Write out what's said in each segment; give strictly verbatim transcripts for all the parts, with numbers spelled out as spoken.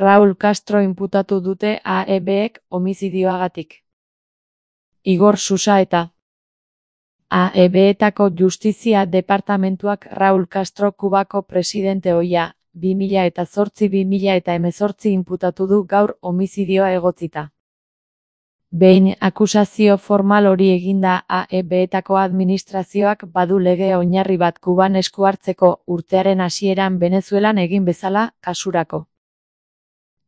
Raúl Castro inputatu dute A E Bek homizidioagatik. Igor Susa eta A E Betako Justizia Departamentuak Raúl Castro Kubako presidente ohia, bi mila zortzi bi mila hemezortzi inputatu du gaur homizidioa egotzita. Behin akusazio formal hori eginda A E Betako administrazioak badu lege oinarri bat Kuban esku hartzeko urtearen hasieran Venezuelan egin bezala, kasurako.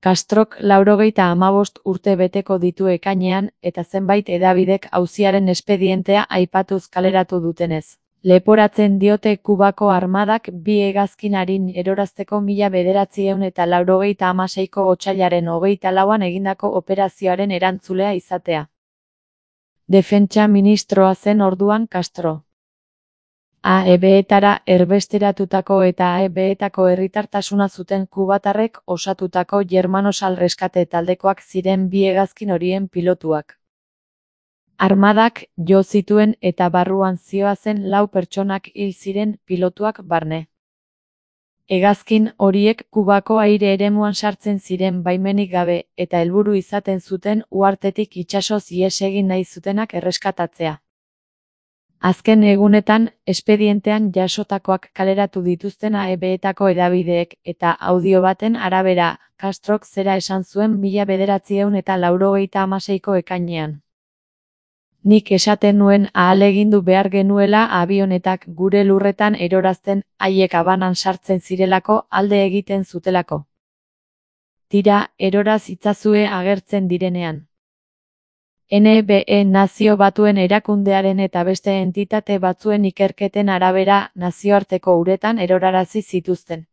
Castrok laurogeita hamabost urte beteko ditu ekainean, eta zenbait hedabidek auziaren espedientea aipatuz kaleratu dutenez. Leporatzen diote Kubako armadak bi hegazkin arin erorazteko mila bederatziehun eta laurogeita hamaseiko otsailaren hogeita lauan egindako operazioaren erantzulea izatea. Defentsa ministroa zen orduan Castro. A E Betara erbesteratutako eta A E Betako herritartasuna zuten kubatarrek osatutako Germanosal Reskate taldekoak ziren bi hegazkin horien pilotuak. Armadak jo zituen eta barruan zihoazen lau pertsonak hil ziren pilotuak barne. Hegazkin horiek Kubako aire eremuan sartzen ziren baimenik gabe eta helburu izaten zuten uhartetik itsasoz ihes egin nahi zutenak erreskatatzea. Azken egunetan, espedientean jasotakoak kaleratu dituzten A E Betako hedabideek eta audio baten arabera, Castrok zera esan zuen mila bederatziehun eta laurogeita hamaseiko ekainean. Nik esaten nuen ahalegindu behar genuela abionetak gure lurretan erorazten, haiek Habanan sartzen zirelako alde egiten zutelako. Tira, eroraz itzazue agertzen direnean. N B E Nazio Batuen erakundearen eta beste entitate batzuen ikerketen arabera nazioarteko uretan erorarazi zituzten.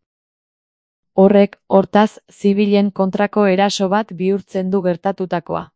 Horrek, hortaz, zibilen kontrako eraso bat bihurtzen du gertatutakoa.